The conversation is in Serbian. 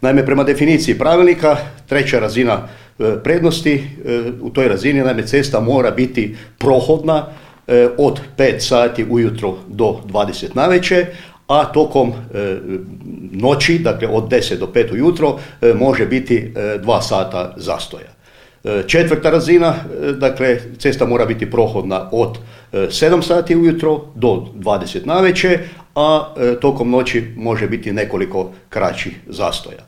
Naime, prema definiciji pravilnika, treća razina prednosti, u toj razini naime cesta mora biti prohodna od 5 sati ujutro do 20 navečer, a tokom noći, dakle od 10 do 5 ujutro, može biti 2 sata zastoja. Četvrta razina, dakle cesta mora biti prohodna od 7 sati ujutro do 20 navečer, a tokom noći može biti nekoliko kraćih zastoja.